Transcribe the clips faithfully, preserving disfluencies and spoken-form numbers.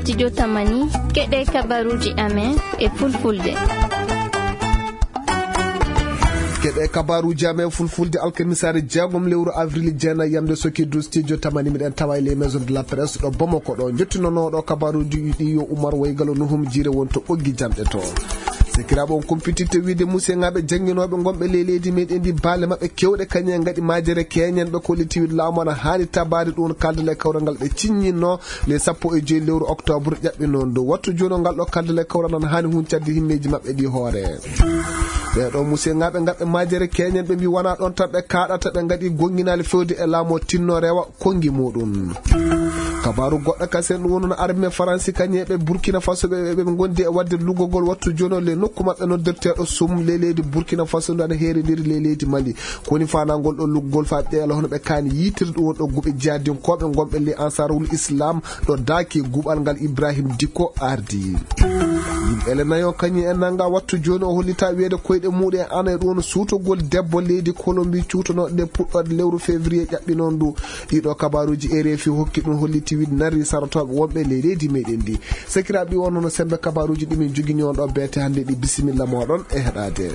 Studio Tamani, keɗe kabaruuji amen e fulfulde. Keɗe kabaruuji amen fulfulde alkamisaare jeegom lewru avril jeenayi yamde soki du studio Tamani, miɗen tawa e les maisons de la presse ɗo Bamako ɗo. Jottinonooɗo kabaruuji ɗi yo Umar Waygalo Nuhum Jiire won to ɓoggi jamɗe to. Sekiraaɓe, on kumpititte wiide musiyŋaaɓe jannginooɓe ngonɓe ley leydi meɗen ndi, baale maɓɓe kewɗe kañum en ngaɗi majere keñen ɓe kolliti wiide laamu ana haani tabaade ɗum kaldal e kawral ngal ɓe ciññinno le sappo e joyi lewru octobre ƴaɓɓi noon dow wattu jono ngal ɗo kaldal e kawral ana haani huncatde himmeeji maɓɓe ɗi hoore. Ɓee ɗo musiyŋaaɓe ngaɗɓe majere keñen ɓe mbi wona ɗon tan ɓe kaaɗata, ɓe ngaɗi gonnginaali fewde e laamu o tinno rewa konngi muɗum. Kabaaru goɗɗo kasen ɗum wonno armée faransi kañum e ɓe Burkina Faso ɓe ɓe ngondi e waɗde luggogol wattu jono le nokku maɓɓe noddirteeɗo sum le leydi Burkina Faso ndu ana heerindiri le leydi Mali. Ko woni faandaagol ɗo luggol faa ɓeela hono ɓe kaani yiitirde ɗum won ɗo guɓe jihadinkooɓe ngonɓe le Ansarul Islam ɗo daaki guɓal ngal Ibrahim Diko ardi. Yimɓe le nayo kañum en nanga wattu jooni o hollita wiyeede koyɗe muɗum e ana e ɗum woni suutogol debbo leydi Kolombi cuutonooɗo nde puɗɗoode lewru février ƴaɓɓi noon ndu. Ɗiɗo kabaaruuji R F I hokki ɗum holliti wiide nari sarotooɓe wonɓe ley leydi meɗen ndi. Sakiraaɓe, ɗi wonno no sembe kabaaruuji ɗi min jogini on ɗo beete hannde ɗi. Bisimilla mooɗon e heɗaade.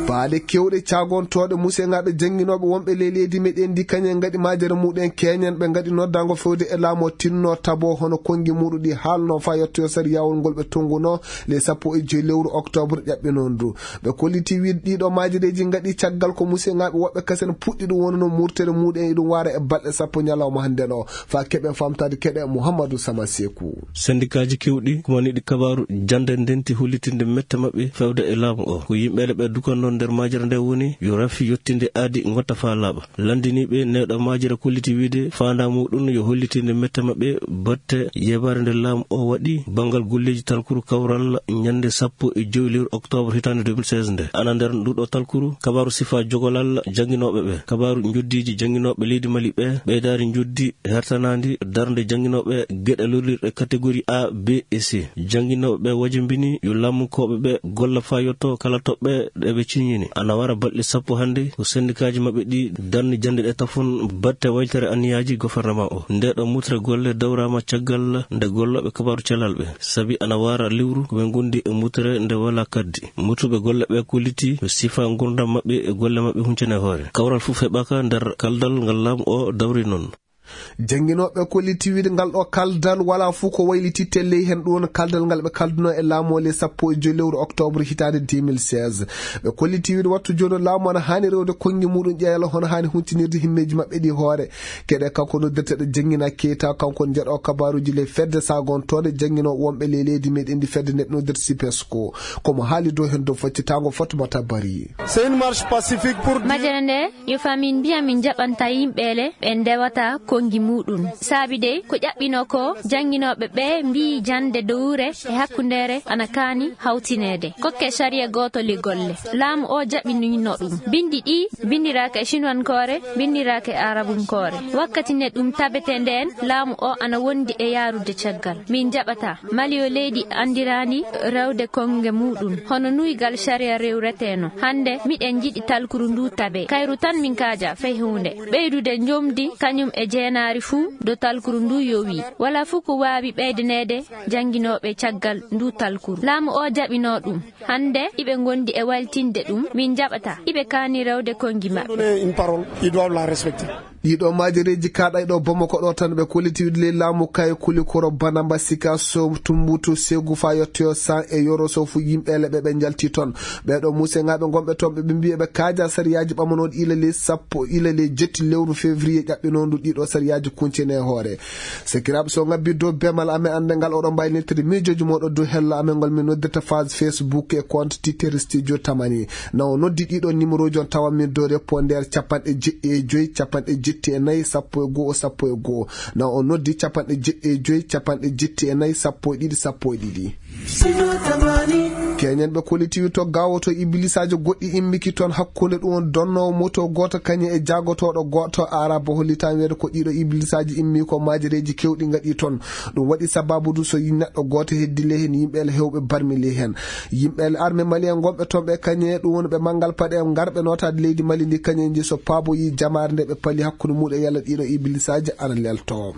Baale kewɗe caagontooɗe musiyŋaaɓe jannginooɓe wonɓe ley leydi meɗen ndi kañum en ngaɗi majere muɗum en keñen ɓe ngaɗi noddaango fewde e laamu o tinno tabo hono konngi muɗum ɗi haalno faa yettoyo sariyaawol ngol ɓe tonnguno le sappo e joyi lewru octobre ƴaɓɓi noon ndu. Ɓe kolliti wiide ɗiɗo majereeji ngaɗi caggal ko musiyŋaaɓe woɓɓe kasen puɗɗi ɗum wonno murtere muɗum en iɗum waara e balɗe sappo ñalawma hannde ɗo. Faa keɓen famtaade keɗe Muhammadu Sama Seeku. Sendikaaji kewɗi kumaniiɗi kabaaru jannde ndenti hollitinde mette maɓɓe fewde e laamu o. Ko yimɓeele ɓe dukanno nder majere nde woni yo rafi yottinde aadi ngotta faa laaɓa. Lanndiniiɓe neɗo majere kolliti wiide faandaa muɗum yo hollitinde mette maɓɓe batte yebaare nde laamu o waɗi banngal golleeji talkuru kawral ñannde sappo e jowi lewru octobre hitaande deux mille seize nde. Ana nder nduɗo talkuru kabaaru sifa jogolal jannginooɓe ɓe, kabaaru njoddiiji jannginooɓe leydi Mali ɓe, ɓeydaari njoddi hertanaandi darnde jannginooɓe geɗe lorlirɗe catégorie A, B et C. Jannginooɓe ɓe wajimbini yo laamunkooɓe ɓe golla faa yetto kala toɓɓe ɗe ɓe ciññini. Ana wara balɗe sappo hannde ko sendikaaji maɓɓe ɗi darni jannde ɗe tafon batte waylitere anniyaaji gouvernement o. Nde ɗo mutre golle dawraama caggal nde gollooɓe kabaaru cellal ɓe. Sabi ana wara lewru ko ɓe ngondi e mutre nde walaa kaddi. Mutuɓe golle ɓe kolliti ɓe sifa ngurdam maɓɓe e golle maɓɓe huncane hoore. Kawral fof heɓaaka nder kaldal ngal laamu o dawri noon. Jannginooɓe kolliti wiide ngal ɗo kaldal walaa fof ko waylititte ley heen ɗum woni kaldal ngal ɓe kalduno e laamu o le sappo e joyi lewru octobre hitaande deux mille seize. Ɓe kolliti wiide wattu jooni laamu ana haani rewde konngi muɗum ƴeela hono haani huntinirde himmeeji maɓɓe ɗi hoore. Keɗe kanko noddirteeɗo Janngina Keyta, kanko njeɗo kabaaruuji le fedde sagontooɗe jannginooɓe wonɓe le leydi meɗen ndi fedde nde ɓe noddirta sipesco. Ko mo haali dow heen dow faccitaango Fatmata Bari. C'est une marche pacifique pour dire Majere nde, yo faa min mbiya min njaɓanta yimɓe le ɓe ndewata konngi muɗum. Saabi dey, ko ƴaɓɓinoo ko, jannginooɓe ɓe mbiyi jannde dowre e hakkundeere ana kaani hawtineede. Kokke sariya gooto le golle. Laamu o jaɓinino ɗum. Binndi ɗi binndiraaka e sinuwankoore, binndiraaka e arabunkoore. Wakkati nde ɗum tabetee ndeen, laamu o ana wondi e yaarude caggal. Min njaɓataa. Mali yo leydi anndiraani rewde konnge muɗum. Hono nuygal sariya rewreteno. Hannde, miɗen njiɗi talkuru ndu tabe. Kayru tan min kaaja fey huunde. Ɓeydude njomdi kañum e jeenaari fuu do talkuru ndu yowi. Walaa fuu ko waawi ɓeydaneede jannginooɓe caggal ndu talkuru. Laamu o jaɓinoo ɗum. Hannde, iɓe ngondi e waylitinde ɗum. Min njaɓataa. Iɓe kaani rewde konngi maɓɓe. Donner une parole, ils doivent la respecter. Ɗiɗo majereeji kaaɗay ɗo Bamako ɗo tan ɓe kolliti wiide ley laamu kay kuli koro Banamba Sika so Tumbutu Segu faa yettoyo San e Yoro so fu yimɓe le ɓe ɓe njalti toon. Ɓee ɗo museŋaaɓe ngonɓe toon ɓe ɓe mbiyi ɓe kaaja sariyaaji ɓamanooɗi ila ley sappo ila ley jetti lewru février ƴaɓɓinoondu ɗiɗo sariyaaji kuncene e hoore. Sekiraaɓe, so ngabbi dow bemal amen annde ngal oɗon mbaawi neltude miijooji mooɗon dow hello amen ngol min noddirta page Facebook e compte Twitter Studio Tamani. Na o noddi ɗiɗo numéroji on tawa min dow répondeur capanɗe jeɗɗi e joyi, capanɗe jetti e nayi, sappo e go'o, sappo e go'o. Na o noddi capanɗe jeɗɗi e joyi, capanɗe jetti e nayi, sappo e ɗiɗi, sappo e ɗiɗi. Studio Tamani. Keñen ɓe kollitiwi to gawo to iblisaajo goɗɗi immiki toon hakkunde ɗum won donnoowo moto gooto kañum e jaagotooɗo gooto. Araba hollitaan weede ko ɗiɗo iblisaaji immi ko maajereeji keewɗi ngaɗi toon. Ɗum waɗi sababu du so yi-, neɗɗo gooto heddi ley heen, yimɓe ele heewɓe barmi ley heen. Yimɓe ele arme mali en gonɓe toon ɓe kañe ɗum woni ɓe manngal paɗe en ngarɓe nootaade leydi Mali ndi kañe nji so paaboyi jamaare nde ɓe pali hakkunde muɗum e yalla ɗiɗo iblisaaji ana lelto.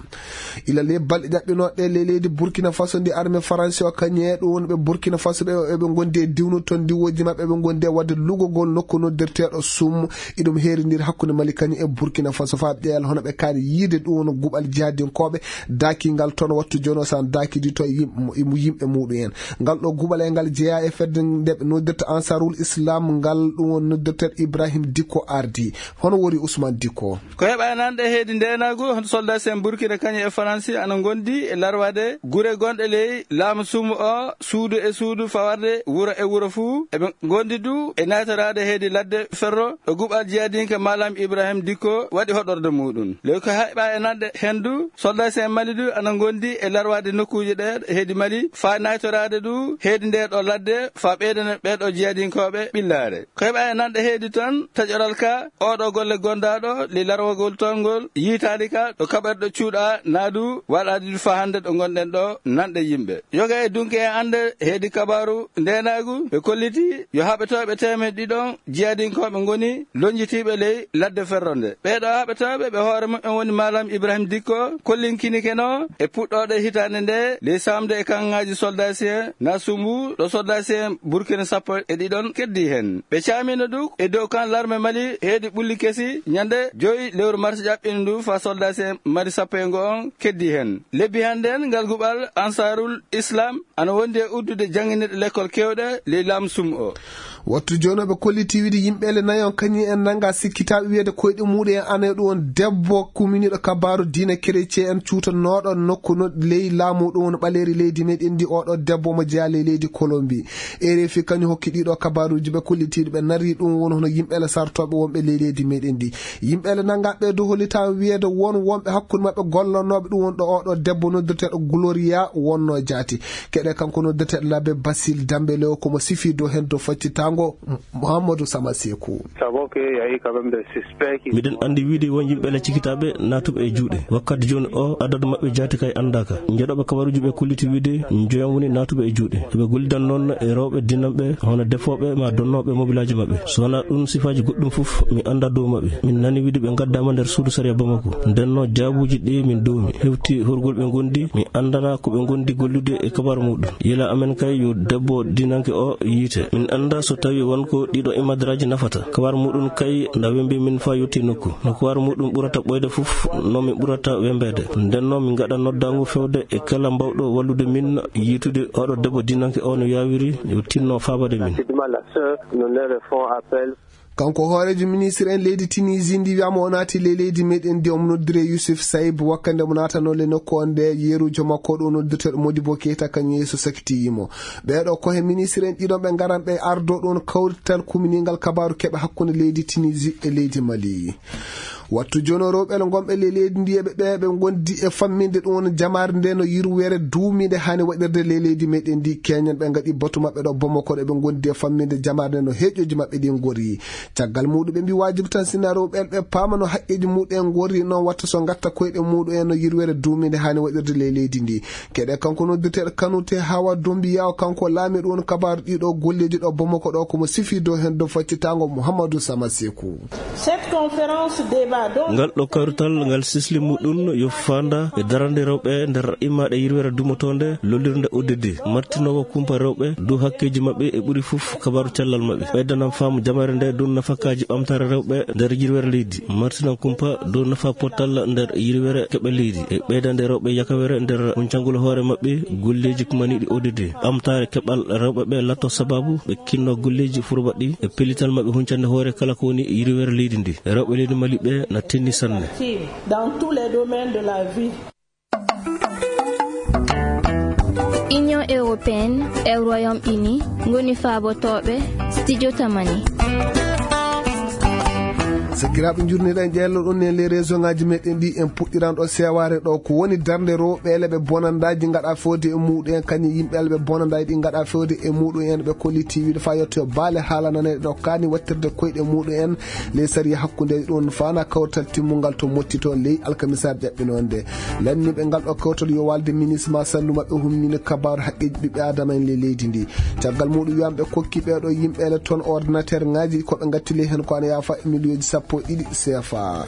Ila ley balɗe ƴaɓɓinooɗe ley leydi Burkina Faso ndi arme Faransi o kañe ɗum woni ɓe Burkina Faso ɓe eɓe ngondi e diwnu toon diwooji maɓɓe eɓe ngondi e waɗde lugogol nokku noddirteeɗo Sum. Iɗum heerindiri hakkunde Mali kañum e Burkina Faso faa ɓe ƴeewal hono ɓe kaani yiide ɗum woni guɓal jihadinkooɓe daakingal toon wattu jooni o so an daakidi to yim-, yimɓe muɗum en. Ngal ɗo guɓal e ngal jeyaa e fedde nde ɓe noddirta Ansarul Islam ngal ɗum woni noddirteeɗo Ibrahim Dikko ardi. Hono wori Ousmane Dikko? Ko heɓa e nanɗe heedi ndeenaagu, hoto soldaasi en Burkina kañum e Faransi ana ngondi e larwaade gure gonɗe ley laamu Sum o, suudu e suudu, fawarde wuro e wuro fuu. Eɓe ngondi du e naytoraade heedi ladde ferro ɗo guɓal jiyadinke Malam Ibrahim Dikko waɗi hoɗorde muɗum. Ley ko heɓa e nanɗe heen du, soldaasi en Mali du ana ngondi e larwaade nokkuuje ɗe heedi Mali, faa naytoraade du heedi nde ɗo ladde, faa ɓeydana ɓee ɗo jiyadinkooɓe ɓillaare. Ko heɓa e nanɗe heedi tan, taƴoral ka, oo ɗo golle gondaaɗo, ley larwagol toon ngol, yiitaali ka, ɗo kaɓerɗe cuuɗa, naa du, waɗaadi du faa hannde ɗo ngonɗen ɗo, nanɗe yimɓe. Yoga e dunke en annde, heedi kabaaru, ndeenaagu, ɓe kolliti, yo haɓetooɓe teemedde ɗiɗon, jiyadinkooɓe ngoni, lonjitiiɓe ley, ladde ferronde. Ɓee ɗo haɓetooɓe, ɓe hoore muɓɓen woni Malam Ibrahim Dikko, kollinkinikeno, e puɗɗooɗe hitaande nde, ley saamde e kaŋŋaaji soldaasi en, na sumbu, ɗo soldaasi en Burkina sappo e ɗiɗon keddii heen. Ɓe caamino du e dow kan larme Mali heedi ɓulli kesi ñande joyi lewru mars ƴaɓɓiino ndu faa soldaasi en Mali sappo e ngo on keddii heen. Lebbi hannde en ngal guɓal Ansarul Islam ana wondi e uddude jannginirɗe lekkol keewɗe ley laamu sum o. Wattu jooni o ɓe kolliti wiide yimɓe le nayon kañum en nannga sikkitaaɓe wiyeede koyɗe muɗum en ana e ɗum on debbo kuminiiɗo kabaaru diine kerecee en cuutanooɗo nokku no ley laamu ɗum woni ɓaleeri leydi meɗen ndi. Oɗo debbo mo jeyaa ley leydi Kolombi. Erefi kañum hokki ɗiɗo kabaaruuji ɓe kollitiiɗi ɓe narri ɗum woni hono yimɓe le sartooɓe wonɓe ley leydi meɗen ndi. Yimɓe le nannga ɓe dow hollitaa wiyeede won wonɓe hakkunde maɓɓe gollonooɓe ɗum woni ɗo oɗo debbo noddirteeɗo Gloria wonnoo jaati. Keɗe kanko noddirteeɗo Labe Basil Dambele o ko mo sifi dow heen dow faccitaango Muhammadu Sama Seku. Savons qu'il y a eu quand même des suspects qui Miɗen anndi wiide won yimɓe le cikitaaɓe naatuɓe e juuɗe. Wakkati jooni o, adadu maɓɓe jaati kay anndaaka. Njeɗooɓe kabaruuji ɓe kolliti wiide njoyon woni naatuɓe e juuɗe. Eɓe gollidan noon e rewɓe dinanɓe, hono defooɓe ma donnooɓe mobilaaji maɓɓe. So wonaa ɗum sifaaji goɗɗum fof, mi anndaa dow maɓɓe. Min nani wiide ɓe ngaddaama nder suudu sariya Bamako. Ndennoo jaabuuji ɗi min doomi. Hewti horgol ɓe ngondi, mi anndanaa ko ɓe ngondi gollude e kabaaru muɗum. Yila amen kay yo debbo dinanke o yiite. Min anndaa so tawi won ko ɗiɗo imadraaji nafata. Kabaaru muɗum kay na wembi min faa yotti nokku. No kabaaru muɗum ɓurata ɓooyde fof, no min ɓurata wembeede. Ndennoo min ngaɗa noddaango fewde e kala mbawɗo wallude min yiitude oɗo debbo dinanke o no yaawiri, yo tinno faabade min. Rapidement, la sœur, nous ne refont appel. Kanko hooreejo ministre en leydi Tunisie ndi wiyaama o naati ley leydi meɗen ndi, omo noddire Youssouf Saïb, wakkande mo naatanoo le nokku on nde yeruujo makko ɗo noddirteeɗo Modibo Keita kañum yeeso sakitiyi mo. Ɓeeɗo ko he ministre en ɗiɗon ɓe ngaran ɓe ardo ɗon kawrital kuminingal kabaaru keɓe hakkunde leydi Tunisie e leydi Mali. Wattu jooni o rewɓe le ngonɓe ley leydi ndi eɓe ɓe ɓe ngondi e famminde ɗum woni jamaare nde no yirwere duumiinde haani waɗirde ley leydi meɗen ndi. Keñen ɓe ngaɗi batu maɓɓe ɗo Bamako ɗo ɓe ngondi e famminde jamaare nde no heeƴooji maɓɓe ɗi ngori. Caggal muɗum ɓe mbi waajibi tan sinno rewɓe ɓe paama no haqqeeji muɗum en ngori noon watta so ngatta koyɗe muɗum en no yirwere duumiinde haani waɗirde ley leydi ndi. Keɗe kanko noddirteeɗo Kanute Hawa Dombiya o kanko laami ɗum woni kabaaru ɗiɗo golleeji ɗo Bamako ɗo ko mo sifi dow heen dow faccitaango Muhammadu Sama Seku. Cette conférence débat donc Ngal ɗo kawrital ngal sisli muɗum yo faanda e darande rewɓe nder immaaɗe yirwere dumotoonde lollirnde O D D, martinoowo kumpa rewɓe dow hakkeeji maɓɓe e ɓuri fof kabaaru cellal maɓɓe. Ɓeydanan faamu jamaare nde dow nafakaaji ɓamtaare rewɓe nder yirwere leydi, martinan kumpa dow nafa pottal nder yirwere keɓe leydi e ɓeydande rewɓe yakawere nder huncangol hoore maɓɓe golleeji kumaniiɗi O D D. Ɓamtaare keɓal rewɓe ɓe latto sababu ɓe kinno golleeji furbaɗɗi e pellital maɓɓe huncande hoore kala ko woni yirwere leydi ndi. Rewɓe leydi Mali ɓe na tenni sanne. Dans tous les domaines de la vie. Union européenne e Royaume-Uni ngoni faabotooɓe Studio Tamani. Sakiraaɓe, njurniɗen ƴeello ɗum en les région ngaji meɗen ɗi. En puɗɗiran ɗo sewaare ɗo ko woni darnde rewɓe le ɓe bonandaaji ngaɗa fewde e muɗum en, kañum yimɓe le ɓe bonandaaji ɗi ngaɗa fewde e muɗum en, ɓe kolliti wiide fa yetto baale haala nane ɗo kani wattirde koyɗe muɗum en. Les sariya hakkunde ɗum fana kawtal timmungal to motti toon ley alkamisaare jaɓɓinonde. Lanniɓe ngal ɗo kawtal yo walde ministre ma sallu maɓɓe humnini kabaru haqqeji ɓiɓɓe adama en le leydi ndi. Caggal muɗum wiyan ɓe kokki ɓeɗo yimɓe le toon ordinateur ngaji ko ɓe gatti ley hen ko ana yafa e miliyoji sappo e ɗiɗi sefa.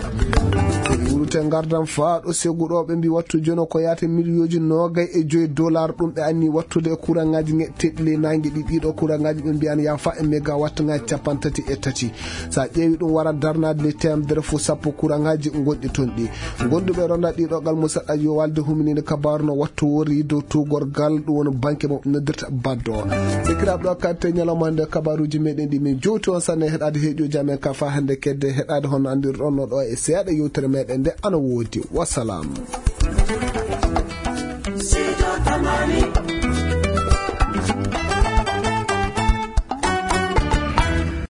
Wurute gardan faaɗo segu ɗo ɓe mbi wattu jono ko yaata miliyoji nogay e joyi dollar ɗum ɓe anni wattude e courant ngaji teɗɗi ley nangue ɗi. Ɗiɗo courant ngaji ɓe mbiyan yafa e mégawatt ngaji capanɗe tati e tati. Sa ƴeewi ɗum wara darnade le temedere fo sappo courant ngaji gonɗi toon ɗi. Gonduɓe ronda ɗiɗo gal mo saɗɗa yo walde humininde kabaru no wattu worri dow tugorgal ɗum woni banque mo noddirta baddo. Sikiraɓe ɗo katte ñalawma hande kabaruji meɗen ɗi min jowti on sanne heɗade heeƴoji amen ka fa hande kedde heɗade hono andirɗon no ɗo e seeɗa yewtere meɗen nde ana woodi. Wasalam. Sijo Tamani.